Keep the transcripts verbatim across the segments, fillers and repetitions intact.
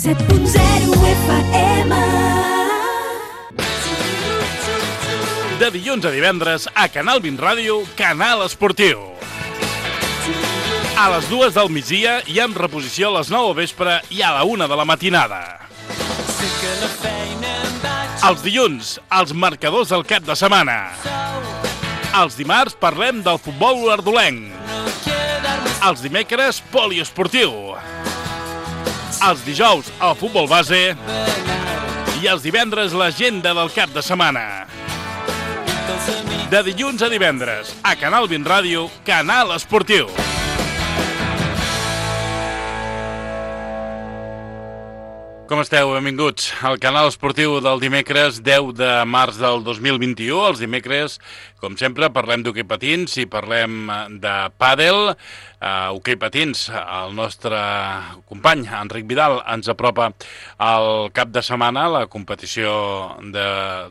set punt zero F M. De dilluns a divendres a Canal vint Ràdio, Canal Esportiu. A les dues del migdia i amb reposició a les nou del vespre i a la una de la matinada. Els dilluns, els marcadors del cap de setmana. Els dimarts parlem del futbol olordolenc. Els dimecres, poliesportiu. Els dijous, el futbol base. I els divendres, l'agenda del cap de setmana. De dilluns a divendres, a Canal vint Ràdio, Canal Esportiu. Com esteu? Benvinguts al Canal Esportiu del dimecres deu de març del dos mil vint-i-u. Els dimecres, com sempre, parlem d'hoquei patins i parlem de pàdel. Uh, hoquei patins, el nostre company, Enric Vidal, ens apropa al cap de setmana la competició de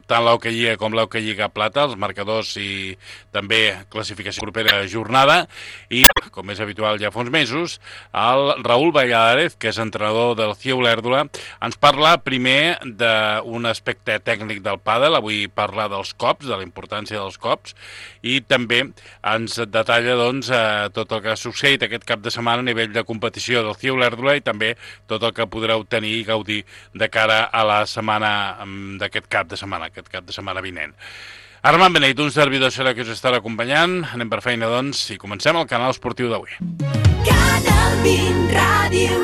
tant l'Hoquei Lliga com l'Hoquei Lliga Plata, els marcadors i també classificació propera jornada. I, com és habitual ja fa uns mesos, el Raül Valladares, que és entrenador del C I E Olèrdola, ens parla primer d'un aspecte tècnic del pàdel. Avui parla dels cops, de la importància dels cops, i també ens detalla doncs, tot el que ha succeït aquest cap de setmana a nivell de competició del C I E Olèrdola i també tot el que podreu tenir i gaudir de cara a la setmana d'aquest cap de setmana, aquest cap de setmana vinent. Armand Beneit, un servidor serà que us estarà acompanyant. Anem per feina, doncs, i comencem el canal esportiu d'avui. Canal vint Ràdio.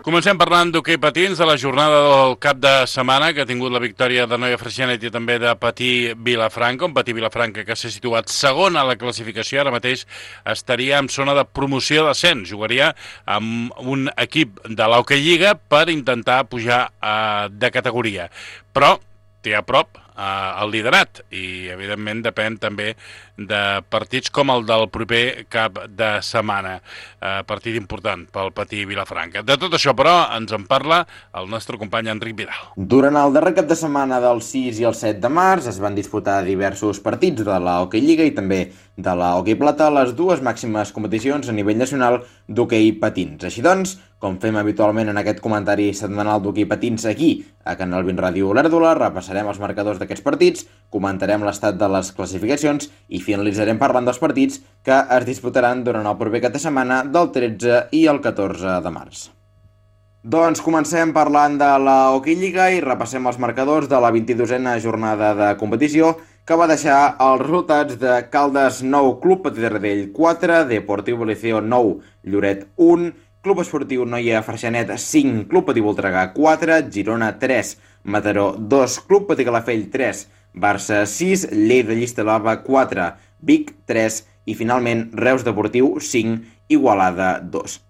Comencem parlant d'hoquei patins, de la jornada del cap de setmana, que ha tingut la victòria de Noia Freixenet i també de Patí Vilafranca, un Patí Vilafranca que s'ha situat segon a la classificació, ara mateix estaria en zona de promoció d'ascens, jugaria amb un equip de l'Hoquei Lliga per intentar pujar eh, de categoria, però té a prop eh, el liderat i evidentment depèn també de partits com el del proper cap de setmana, eh, partit important pel Patí Vilafranca. De tot això, però, ens en parla el nostre company Enric Vidal. Durant el darrer cap de setmana del sis i el set de març es van disputar diversos partits de la Hoquei Lliga i també de la Hoquei Plata, les dues màximes competicions a nivell nacional d'hoquei patins. Així doncs, com fem habitualment en aquest comentari setmanal d'hoquei patins aquí a Canal vint Ràdio Olèrdola, repassarem els marcadors d'aquests partits, comentarem l'estat de les classificacions i finalitzarem parlant dels partits que es disputaran durant el proper cap de setmana del tretze i el catorze de març. Doncs comencem parlant de la Hoquei Lliga i repassem els marcadors de la vint-i-dosena jornada de competició que va deixar els resultats de Caldes nou, Club Patí de Taradell quatre, Deportiu Liceo nou, Lloret un, Club Esportiu Noia Freixenet cinc, Club Patí Voltregà quatre, Girona tres, Mataró dos, Club Patí Calafell tres, Barça sis, Lleida Llista-Lava quatre, Vic tres i finalment Reus Deportiu cinc, Igualada dos.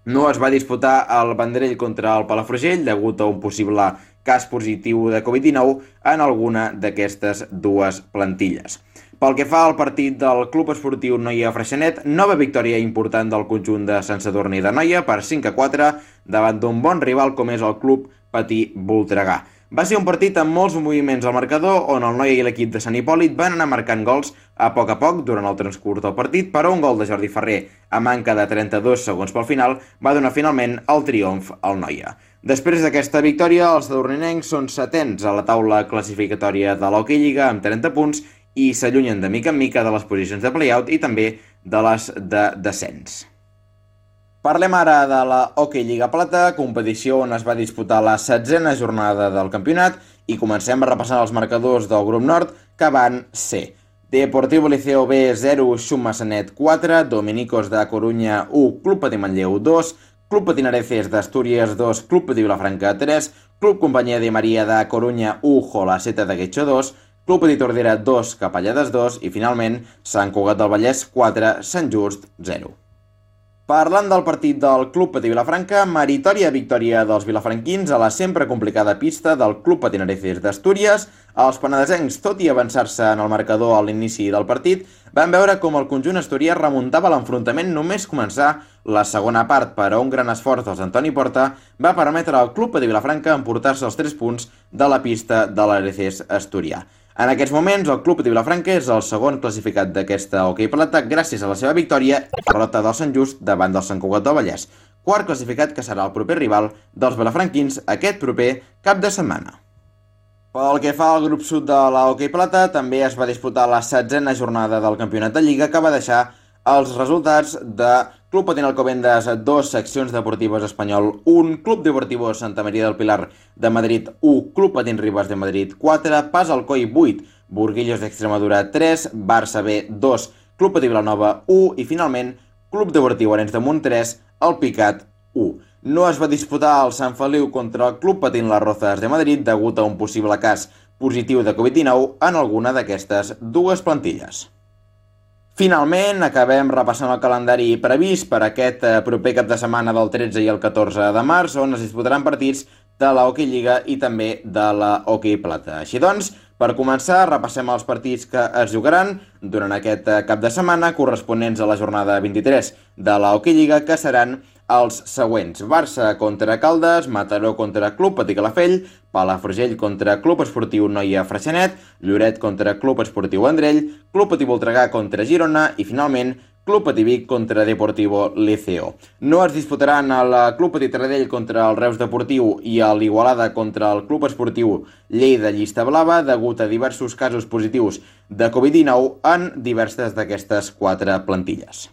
No es va disputar el Vendrell contra el Palafrugell degut a un possible cas positiu de covid dinou en alguna d'aquestes dues plantilles. Pel que fa al partit del Club Esportiu Noia Freixenet, nova victòria important del conjunt de Sant Sadurní de Noia per cinc a quatre davant d'un bon rival com és el Club Patí Voltregà. Va ser un partit amb molts moviments al marcador on el Noia i l'equip de Sant Hipòlit van anar marcant gols a poc a poc durant el transcurs del partit, però un gol de Jordi Ferrer a manca de trenta-dos segons pel final va donar finalment el triomf al Noia. Després d'aquesta victòria, els sadurninencs són setens a la taula classificatòria de l'Hoquei Lliga amb trenta punts i s'allunyen de mica en mica de les posicions de play-out i també de les de descens. Parlem ara de la Hoquei Lliga Plata, competició on es va disputar la setzena jornada del campionat i comencem repassant els marcadors del grup nord que van ser Deportiu Liceo B zero, Xumassanet quatre, Dominicos de Corunya u, Club Patí Manlleu dos, Club Patí Areces d'Astúries dos, Club Patí Vilafranca tres, Club Companyia de Maria de Corunya u, Jolaceta de Guetxo dos, Club Patí Tordera dos, Capellades dos i finalment Sant Cugat del Vallès quatre, Sant Just zero. Parlant del partit del Club Patí Vilafranca, meritòria victòria dels vilafranquins a la sempre complicada pista del Club Patí Areces d'Astúries. Els penedesencs, tot i avançar-se en el marcador a l'inici del partit, van veure com el conjunt asturià remuntava l'enfrontament només començar la segona part, però un gran esforç dels Antoni Porta va permetre al Club Patí Vilafranca emportar-se els tres punts de la pista de l'Areces asturià. En aquests moments, el Club Patí Vilafranca és el segon classificat d'aquesta Hoquei Plata gràcies a la seva victòria i derrota del Sant Just davant del Sant Cugat del Vallès. quart classificat que serà el proper rival dels vilafranquins aquest proper cap de setmana. Pel que fa al grup sud de l'Hockey Plata, també es va disputar la setzena jornada del campionat de Lliga, que va deixar els resultats de Club Patín Alcobendas dos, Seccions Deportives Espanyol un, Club Deportivo Santa María del Pilar de Madrid u, Club Patín Ribas de Madrid quatre, Pas Alcoi vuit, Burguillos d'Extremadura tres, Barça B dos, Club Patí Vilanova u i finalment Club Deportiu Arenys de Munt tres, El Picat u. No es va disputar el Sant Feliu contra el Club Patín Las Rozas de Madrid degut a un possible cas positiu de covid dinou en alguna d'aquestes dues plantilles. Finalment, acabem repassant el calendari previst per aquest proper cap de setmana del tretze i el catorze de març, on es disputaran partits de la Hockey Lliga i també de la Hockey Plata. Així doncs, per començar, repassem els partits que es jugaran durant aquest cap de setmana corresponents a la jornada vint-i-tres de la Hockey Lliga, que seran els següents: Barça contra Caldes, Mataró contra Club Patí Calafell, Palafrugell contra Club Esportiu Noia Freixenet, Lloret contra Club Esportiu Vendrell, Club Patí Voltregà contra Girona i finalment Club Patí Vic contra Deportivo Liceo. No es disputaran el Club Patí Taradell contra el Reus Deportiu i l'Igualada contra el Club Esportiu Lleida Llista Blava degut a diversos casos positius de covid dinou en diverses d'aquestes quatre plantilles.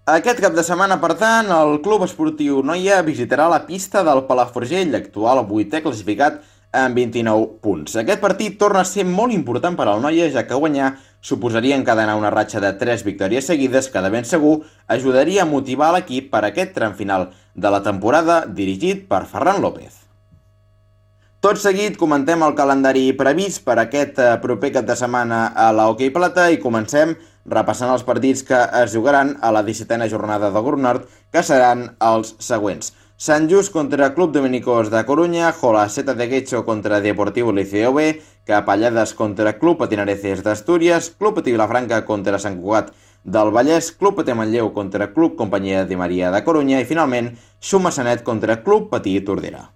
Aquest cap de setmana, per tant, el Club Esportiu Noia visitarà la pista del Palafrugell, actual vuitè classificat amb vint-i-nou punts. Aquest partit torna a ser molt important per al Noia, ja que guanyar suposaria encadenar una ratxa de tres victòries seguides que de ben segur ajudaria a motivar l'equip per aquest tram final de la temporada dirigit per Ferran López. Tot seguit comentem el calendari previst per aquest proper cap de setmana a la Hockey Plata i comencem repassant els partits que es jugaran a la dissetena jornada del Grup Nord, que seran els següents: Sant Just contra Club Dominicos de Coruña, Jolaceta de Guecho contra Deportivo Liceo B, Capellades contra Club Patinareces d'Astúries, Club Patí Vilafranca contra Sant Cugat del Vallès, Club Patí Manlleu contra Club Companyia de Maria de Coruña i finalment Xumassanet contra Club Patí Tordera.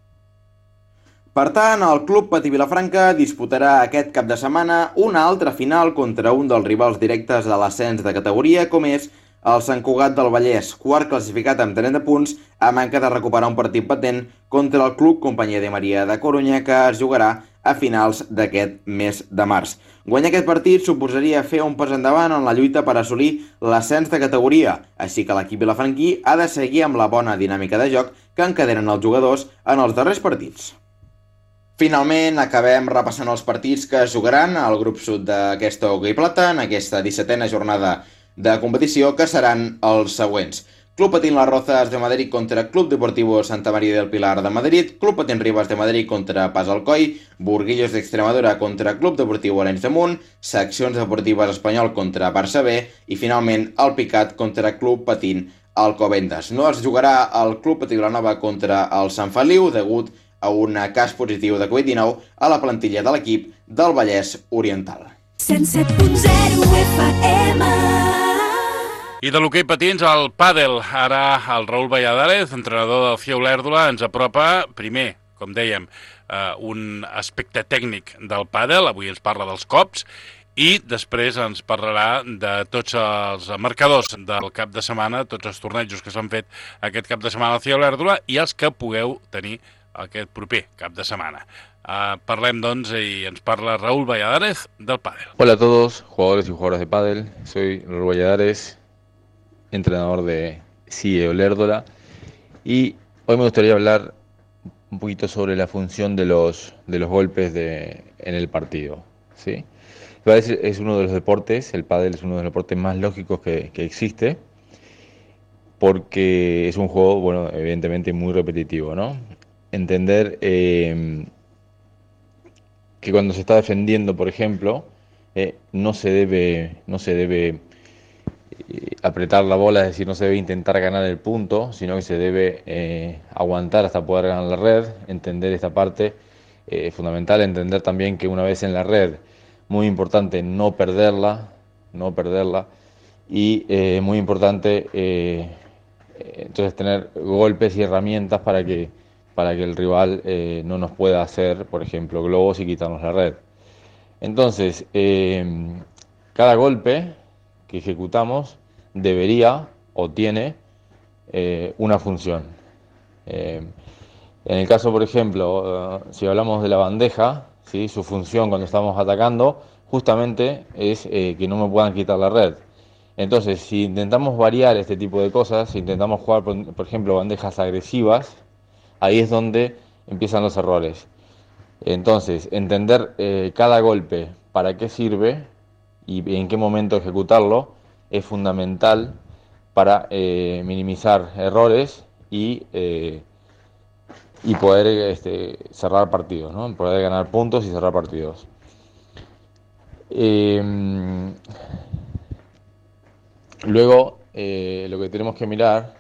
Per tant, el Club Patí Vilafranca disputarà aquest cap de setmana una altra final contra un dels rivals directes de l'ascens de categoria, com és el Sant Cugat del Vallès, quart classificat amb trenta punts, a manca de recuperar un partit patent contra el Club Companyia de Maria de Coruña, que es jugarà a finals d'aquest mes de març. Guanyar aquest partit suposaria fer un pas endavant en la lluita per assolir l'ascens de categoria, així que l'equip vilafranquí ha de seguir amb la bona dinàmica de joc que encadenen els jugadors en els darrers partits. Finalment, acabem repassant els partits que es jugaran al grup sud d'aquesta Hockey Plata en aquesta dissetena jornada de competició, que seran els següents: Club Patín Las Rozas de Madrid contra Club Deportivo Santa María del Pilar de Madrid, Club Patín Ribas de Madrid contra Pas Alcoi, Burguillos d'Extremadura contra Club Deportiu Arenys de Munt, Seccions Deportives Espanyol contra Barça B i finalment El Picat contra Club Patín Alcobendas. No es jugarà el Club Patí Vilanova contra el Sant Feliu degut a un cas positiu de covid dinou a la plantilla de l'equip del Vallès Oriental. cent set punt zero F M. I de l'hoquei patins al pàdel. Ara el Raül Valladares, entrenador del C I A Olèrdola, ens apropa, primer, com dèiem, eh, un aspecte tècnic del pàdel, avui ens parla dels cops, i després ens parlarà de tots els marcadors del cap de setmana, tots els tornejos que s'han fet aquest cap de setmana al C I A Olèrdola i els que pugueu tenir aquest proper cap de semana. Uh, parlem, doncs, i ens parla Raúl Valladares del pádel. Hola a todos, jugadores y jugadoras de pádel. Soy Raúl Valladares, entrenador de C I A Olèrdola, y hoy me gustaría hablar un poquito sobre la función de los, de los golpes de, en el partido, ¿sí? El pádel es uno de los deportes, el pádel es uno de los deportes más lógicos que, que existe, porque es un juego, bueno, evidentemente muy repetitivo, ¿no? Entender eh, que cuando se está defendiendo, por ejemplo, eh, no se debe, no se debe eh, apretar la bola, es decir, no se debe intentar ganar el punto, sino que se debe eh, aguantar hasta poder ganar la red. Entender esta parte es eh, fundamental, entender también que una vez en la red, muy importante no perderla, no perderla, y eh, muy importante eh, entonces tener golpes y herramientas para que para que el rival eh, no nos pueda hacer, por ejemplo, globos y quitarnos la red. Entonces, eh, cada golpe que ejecutamos debería o tiene eh, una función. Eh, en el caso, por ejemplo, uh, si hablamos de la bandeja, ¿sí? Su función cuando estamos atacando justamente es eh, que no me puedan quitar la red. Entonces, si intentamos variar este tipo de cosas, si intentamos jugar, por, por ejemplo, bandejas agresivas, ahí es donde empiezan los errores. Entonces, entender eh, cada golpe, para qué sirve y en qué momento ejecutarlo, es fundamental para eh, minimizar errores y, eh, y poder este, cerrar partidos, ¿no? Poder ganar puntos y cerrar partidos. Eh, luego, eh, lo que tenemos que mirar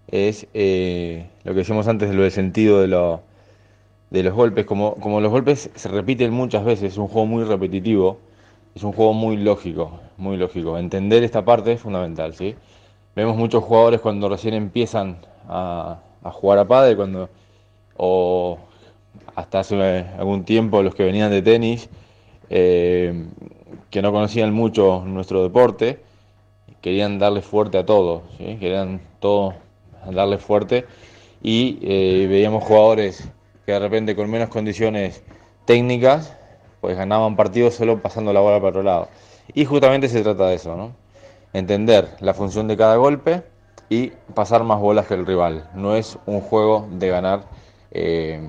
es eh, lo que decíamos antes de lo del sentido de, lo, de los golpes. Como, como los golpes se repiten muchas veces, es un juego muy repetitivo, es un juego muy lógico, muy lógico. Entender esta parte es fundamental, ¿sí? Vemos muchos jugadores cuando recién empiezan a, a jugar a pádel, cuando, o hasta hace algún tiempo los que venían de tenis, eh, que no conocían mucho nuestro deporte, querían darle fuerte a todo, ¿sí? Querían todo darle fuerte y eh, veíamos jugadores que de repente con menos condiciones técnicas pues ganaban partidos solo pasando la bola para otro lado. Y justamente se trata de eso, ¿no? Entender la función de cada golpe y pasar más bolas que el rival. No es un juego de ganar eh,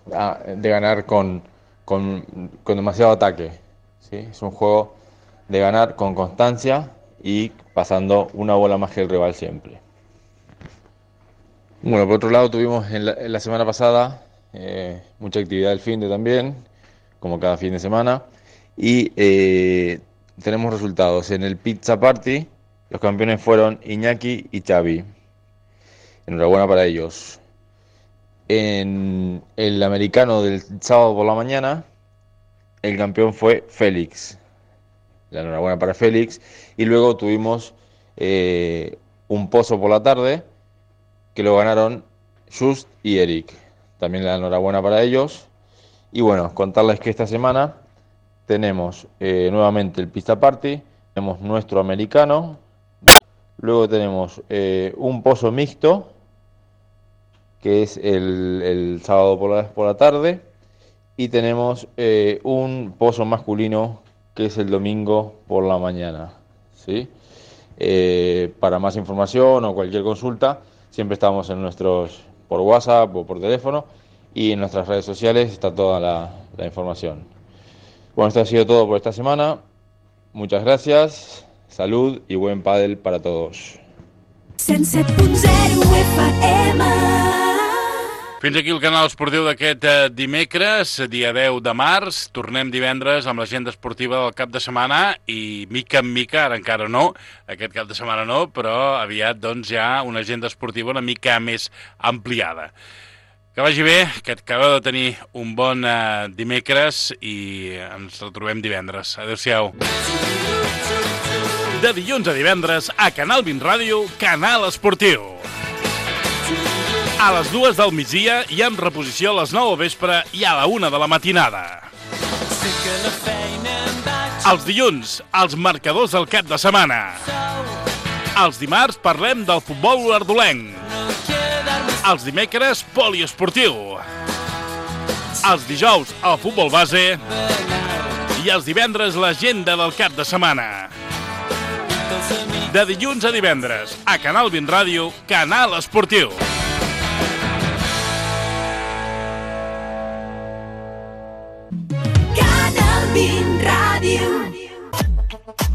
de ganar con, con, con demasiado ataque, ¿sí? Es un juego de ganar con constancia y pasando una bola más que el rival siempre. Bueno, por otro lado tuvimos en la, en la semana pasada eh, mucha actividad del finde también, como cada fin de semana, y eh, tenemos resultados. En el Pizza Party los campeones fueron Iñaki y Xavi. Enhorabuena para ellos. En el americano del sábado por la mañana, el campeón fue Félix. La enhorabuena para Félix. Y luego tuvimos eh, un pozo por la tarde, que lo ganaron Just y Eric. También la enhorabuena para ellos. Y bueno, contarles que esta semana tenemos eh, nuevamente el Pista Party, tenemos nuestro americano, luego tenemos eh, un pozo mixto, que es el, el sábado por la, por la tarde, y tenemos eh, un pozo masculino, que es el domingo por la mañana, ¿sí? Eh, para más información o cualquier consulta, siempre estamos en nuestros, por WhatsApp o por teléfono, y en nuestras redes sociales está toda la, la información. Bueno, esto ha sido todo por esta semana. Muchas gracias, salud i buen pàdel para todos. cent set punt zero F M. Fins aquí el canal esportiu d'aquest eh, dimecres, dia deu de març. Tornem divendres amb l'agenda esportiva del cap de setmana i mica en mica, ara encara no, aquest cap de setmana no, però aviat doncs ja una agenda esportiva una mica més ampliada. Que vagi bé, que acabeu de tenir un bon eh, dimecres i ens retrobem divendres. Adéu-siau. De dilluns a divendres a Canal vint Ràdio, Canal Esportiu. A les dues del migdia i amb reposició a les nou del vespre i a la una de la matinada. Els dilluns, els marcadors del cap de setmana. Els dimarts parlem del futbol olordolenc. Els dimecres, poliesportiu. Els dijous, el futbol base. I els divendres, l'agenda del cap de setmana. De dilluns a divendres, a Canal vint Ràdio, Canal Esportiu. Canal vint Ràdio.